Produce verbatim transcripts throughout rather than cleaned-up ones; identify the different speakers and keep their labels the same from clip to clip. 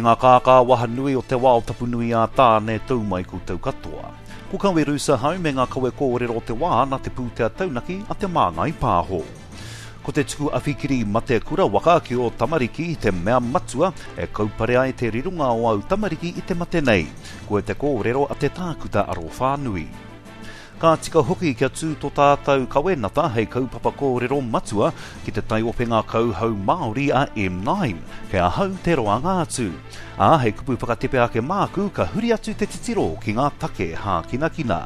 Speaker 1: E ngā kākā waha nui o te wao tapu nui a Tāne tau mai koutou katoa. Ko Kawe Rusa hau me ngā kawe kōrero o te wā nā te pūtea taunaki a Te Māngai Pāho. Ko te tuku awhikiri mate kura waka ki o tamariki te mea matua e kaupare ai te rironga o au tamariki i te mate nei. Ko te kōrero a te tākuta aro whānui. Ka tika hoki kia tū tō tātou kawenata hei kaupapa kōrero matua ki te taiopenga kauhau Māori a M nine, kei ahau te roanga atu. Ā, hei kupu whakatepe ake māku, ka huri atu te titiro ki ngā take hākinakina.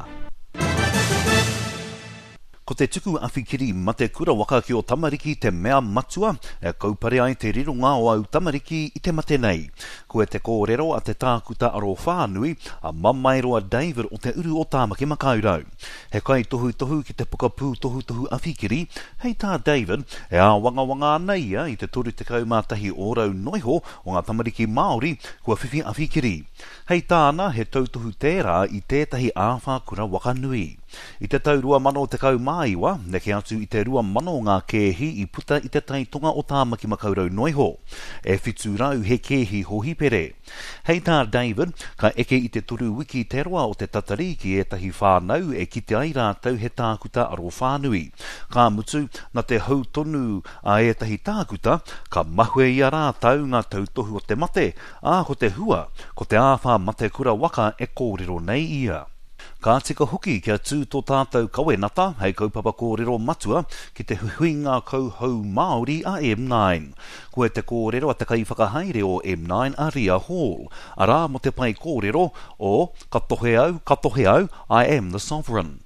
Speaker 1: Ko te tuku awhikiri mate kura waka ki o tamariki te mea matua e kaupare ai te rironga o au tamariki i te mate nei. Ko te kōrero a te tākuta aro whānui a Mamaeroa David o te uru o Tāmaki Makaurau. He kai tohutohu ki te pokapū tohutohu awhikiri, hei tā David, e āwangawanga ana ia i te toru tekau mā tahi ōrau noiho o ngā tamariki Māori kua whiwhi awhikiri. Hei tāna, he tautohu tērā i tētahi āwhā kura waka nui. I te tau rua mano tekau mā iwa, neke atu i te rua mano ngā kēhi i puta i te taitonga o Tāmaki Makaurau noiho. E whitu rau he kēhi hohipere. Hei tā David, ka eke i te toru wiki te roa o te tatari ki ētahi whānau e kite ai rātou he tākuta aro whānui. Ka mutu, na te hau tonu a ētahi tākuta, ka mahue i a rātou ngā tautohu o te mate, ā ko te hua, ko te āwhā mate kura waka e kōrero nei ia. Ka tika hoki kia tū tō tātou kawenata hei kaupapa kōrero matua ki te huihuinga kauhau Māori a M nine. Ko te kōrero a te kaiwhakahaere o M nine a Ria Hall. Arā mo te pai kōrero o Ka tohe au, ka tohe au, I am the sovereign.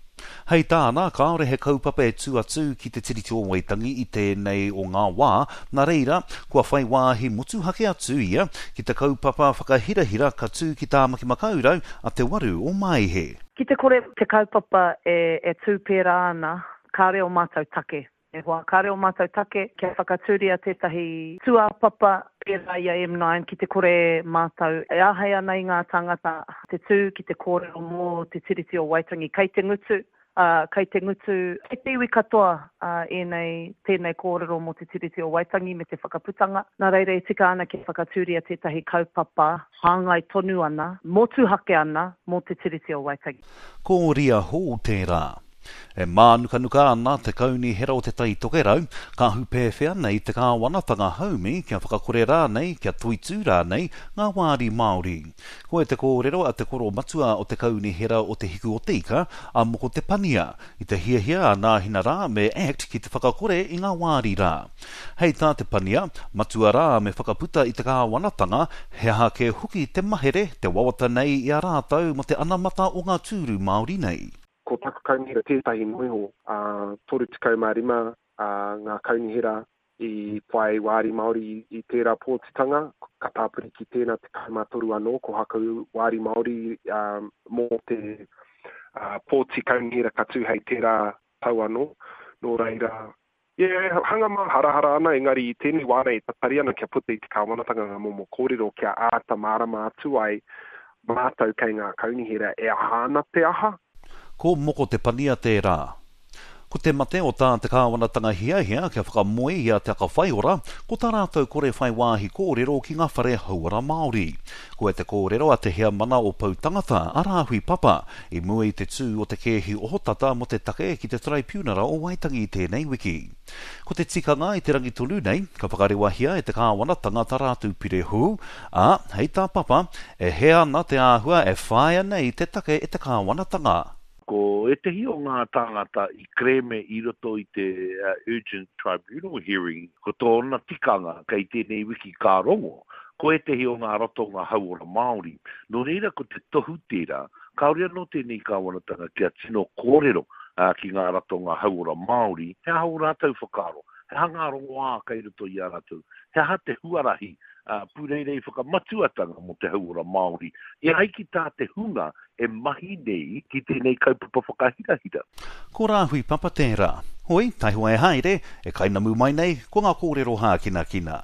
Speaker 1: Hei tāna, kāore he kaupapa e tū atu ki te Tiriti o Waitangi i tēnei o ngā wā, nā reira, kua whai wāhi motuhake atu ia ki te kaupapa whakahirahira ka tū ki Tāmaki Makaurau a Te Waru o Maihe.
Speaker 2: Ki te kore te kaupapa e, e tū pērā ana, kāre o mātou take. E hoa, kāre o mātou take kia whakatūria tētahi tūāpapa pērā i a M nine ki te kore mātou e āhei ana i ngā tāngata te tū ki te kōrero mō te Tiriti o Waitangi. Kei te ngutu, uh, kei te ngutu, kei te iwi katoa uh, ēnei, tēnei kōrero mō te Tiriti o Waitangi me te whakaputanga. Nā reira e tika ana kia whakatūria tētahi kaupapa hāngai tonu ana, motuhake ana mō te Tiriti o Waitangi.
Speaker 1: Ko Ria Hall tērā. E mānukanuka ana te kaunihera o te Tai Tokerau, ka hupēwhea nei te kāwanatanga haumi kia whakakore rānei, kia toitū rānei ngā wāri Māori. Ko e te kōrero a te koro matua o te kaunihera o te Hiku o te Ika, a Moko Te Pania, i te hiahia a Nāhina rā me Act ki te whakakore i ngā wāri rā. Hei tā Te Pania, matua rā me whakaputa i te kāwanatanga, he aha kē hoki te mahere, te wawata nei i a rātou mo te anamata o ngā tūru Māori nei.
Speaker 3: Ko taku kaunihera tētahi noiho, uh, toru tekau mā rima, uh, ngā kaunihera i whai wāri Māori i, i tērā pōtitanga, ka tāpiri ki tēnā tekau mā toru anō, ko haka wāri Māori, um, mō te, uh, pōti kaunihera ka tū hei tērā tau anō. Nō reira, yeah, hanga mā harahara ana, engari i tēnei wā nei tatari ana kia puta i te kāwanatanga ngā momo kōrero kia āta mārama atu ai mātou kei ngā kaunihera e aha ana te aha.
Speaker 1: Ko Moko Te Pania tērā. Ko te mate o tā te kāwanatanga hiahia kia whakamoe i a Te Aka Whaiora, ko tā rātou kore whai wāhi kōrero ki ngā whare hauora Māori. Ko e te kōrero a te heamana o Poutangata, a Rāhui Papa, i mua i te tū o te kēhi ohotata mo te take ki te Traipunara o Waitangi tēnei wiki. Ko te tikanga i te rangi tonu nei, ka whakarewahia e te kāwanatanga tā rātou pire hou, ā, hei tā Papa, e he ana te āhua e whāia nei te take e te kāwanatanga.
Speaker 4: Ko ētehi o ngā tāngata i kreme i roto i te, uh, Urgent Tribunal hearing, ko tōna tikanga kei tēnei wiki ka rongo, ko ētehi o ngā ratonga hauora Māori. Nō reira ko te tohu tērā, kāore anō tēnei kāwanatanga kia tino kōrero, uh, ki ngā ratonga hauora Māori, he aha o rātou whakaaro, he aha ngā rongoā kei roto i a rātou, he aha te huarahi, uh, pūreirei whakamatuatanga mō te hauora Māori, e ai ki tā te hunga e mahi nei ki tēnei kaupapa whakahirahira.
Speaker 1: Ko Rāhui Papa tērā. Hoi, taihoa e haere, e kainamu mai nei, ko ngā kōrero hākinakina.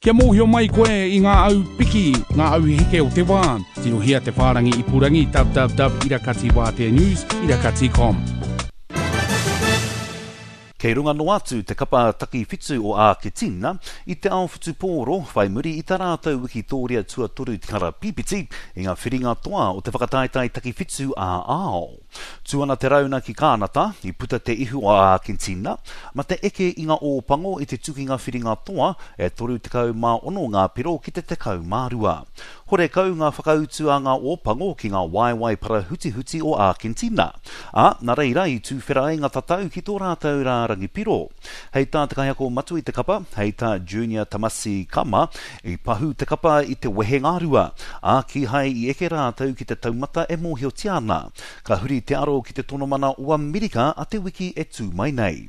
Speaker 5: Kia mōhio mai koe i ngā au piki, ngā au heke o te wā. Tirohia te whārangi ipurangi www irakati wātea news irakati com.
Speaker 1: Kei runga noa atu te kapa takiwhitu o Āketina i te ao whutupōro whai muri i tā rātou wikitōria tuatoru karapīpiti i ngā whiringa toa o te whakataetae takiwhitu ā-ao. Tū ana te rauna ki Kānata, i puta te ihu o Āketina, ma te eke i ngā Ōpango i te tukinga whiringa toa e toru tekau mā ono ngā piro ki te tekau mā rua. Horekau ngā whakautu a ngā Ōpango ki ngā waewae parahutihuti o Ākentina, ā, nā reira i tūwhera ai ngā tatau ki tō rātou rārangi piro. Hei tā te kaiako matua i te kapa, hei tā Junior Tamasi Kama, i pahū te kapa i te wehengarua, ā, kīhai i eke rātou ki te taumata e mōhiotia ana. Ka huri te aro ki te tonomana o Amerika a te wiki e tū mai nei.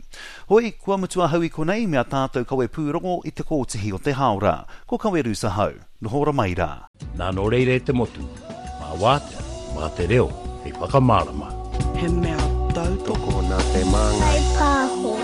Speaker 1: Hoi, kua mutu ahau i konei me a tātou kawe pūrongo i te kōtihi o te hāora. Ko Kawerusa hau. Noho ora mai rā.
Speaker 6: Nā nō reira e te motu, mā wātea, mā te reo, hei whakamārama.
Speaker 7: He mea tautoko.
Speaker 3: Tokona te māngai.
Speaker 8: Whai pāho.